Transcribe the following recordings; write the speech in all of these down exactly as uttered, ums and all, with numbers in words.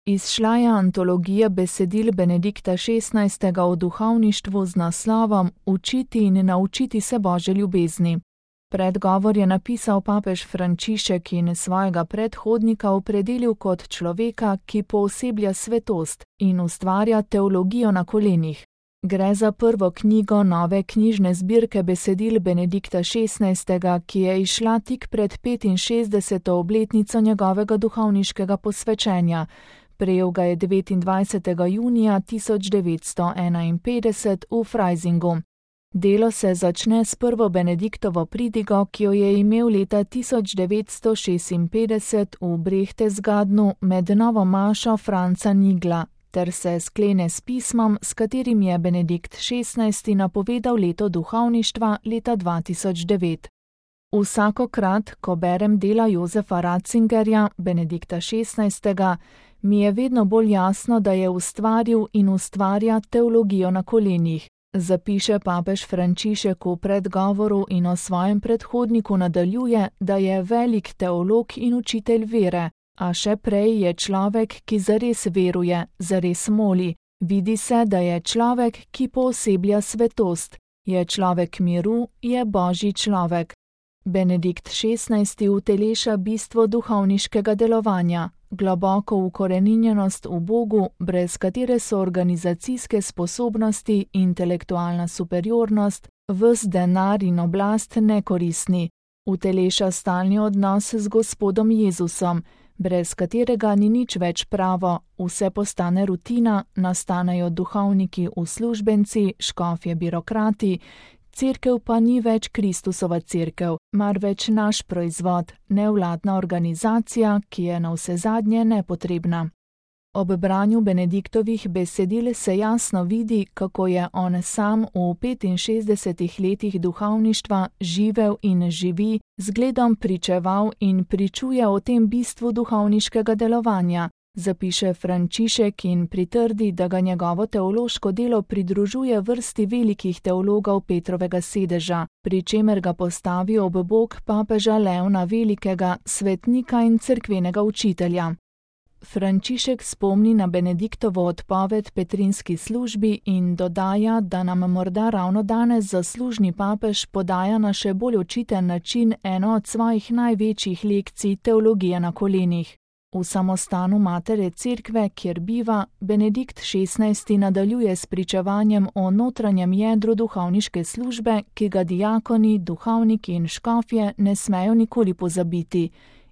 Izšla je antologija besedil Benedikta šestnajstega o duhovništvu z naslovom Učiti in naučiti se Božje ljubezni. Predgovor je napisal papež Frančišek in svojega predhodnika opredelil kot človeka, ki pooseblja svetost in ustvarja teologijo na kolenih. Gre za prvo knjigo nove knjižne zbirke besedil Benedikta šestnajstega, ki je izšla tik pred petinšestdeseto obletnico njegovega duhovniškega posvečenja. Prejel ga je devetindvajsetega junija tisoč devetsto enainpetdeset v Freisingu. Delo se začne s prvo Benediktovo pridigo, ki jo je imel leta tisoč devetsto šestinpetdeset v Berchtesgadenu med novo mašo Franca Nigla, ter se sklene s pismom, s katerim je Benedikt šestnajsti napovedal leto duhovništva leta dva tisoč devet. Vsakokrat, ko berem dela Josefa Ratzingerja, Benedikta šestnajstega, mi je vedno bolj jasno, da je ustvaril in ustvarja teologijo na kolenih. Zapiše papež Frančišek v predgovoru in o svojem predhodniku nadaljuje, da je velik teolog in učitelj vere, a še prej je človek, ki zares veruje, zares moli. Vidi se, da je človek, ki pooseblja svetost. Je človek miru, je Božji človek. Benedikt šestnajsti uteleša bistvo duhovniškega delovanja, globoko ukoreninjenost v Bogu, brez katere so organizacijske sposobnosti, intelektualna superiornost, ves denar in oblast nekoristni. Uteleša stalni odnos z Gospodom Jezusom, brez katerega ni nič več pravo, vse postane rutina, nastanejo duhovniki uslužbenci, škofje birokrati, cerkev pa ni več Kristusova cerkev, marveč naš proizvod, nevladna organizacija, ki je navsezadnje nepotrebna. Ob branju Benediktovih besedil se jasno vidi, kako je on sam v petinšestdesetih letih duhovništva živel in živi, zgledom pričeval in pričuje o tem bistvu duhovniškega delovanja. Zapiše Frančišek in pritrdi, da ga njegovo teološko delo pridružuje vrsti velikih teologov Petrovega sedeža, pri čemer ga postavi ob bok papeža Leona Velikega, svetnika in cerkvenega učitelja. Frančišek spomni na Benediktovo odpoved petrinski službi in dodaja, da nam morda ravno danes zaslužni papež podaja na še bolj očiten način eno od svojih največjih lekcij teologije na kolenih. V samostanu matere cerkve, kjer biva, Benedikt šestnajsti nadaljuje s pričevanjem o notranjem jedru duhovniške službe, ki ga diakoni, duhovniki in škofje ne smejo nikoli pozabiti.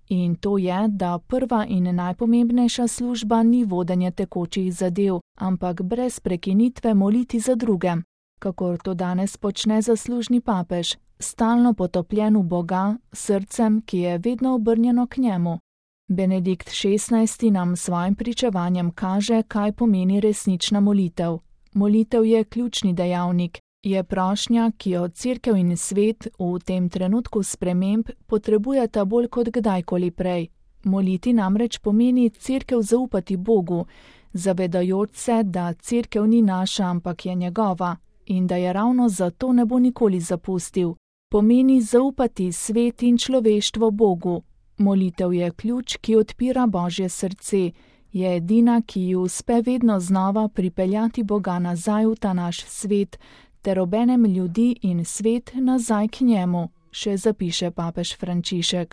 In to je, da prva in najpomembnejša služba ni vodenje tekočih zadev, ampak brez prekinitve moliti za druge, kakor to danes počne zaslužni papež, stalno potopljen v Boga, srcem, ki je vedno obrnjeno k njemu. Benedikt šestnajsti nam s svojim pričevanjem kaže, kaj pomeni resnična molitev. Molitev je ključni dejavnik, je prošnja, ki jo cerkev in svet v tem trenutku sprememb potrebujeta bolj kot kdajkoli prej. Moliti namreč pomeni cerkev zaupati Bogu, zavedajoč se, da cerkev ni naša, ampak je njegova in da je ravno zato ne bo nikoli zapustil. Pomeni zaupati svet in človeštvo Bogu. Molitev je ključ, ki odpira Božje srce, je edina, ki ji uspe vedno znova pripeljati Boga nazaj v ta naš svet, ter obenem ljudi in svet nazaj k njemu, še zapiše papež Frančišek.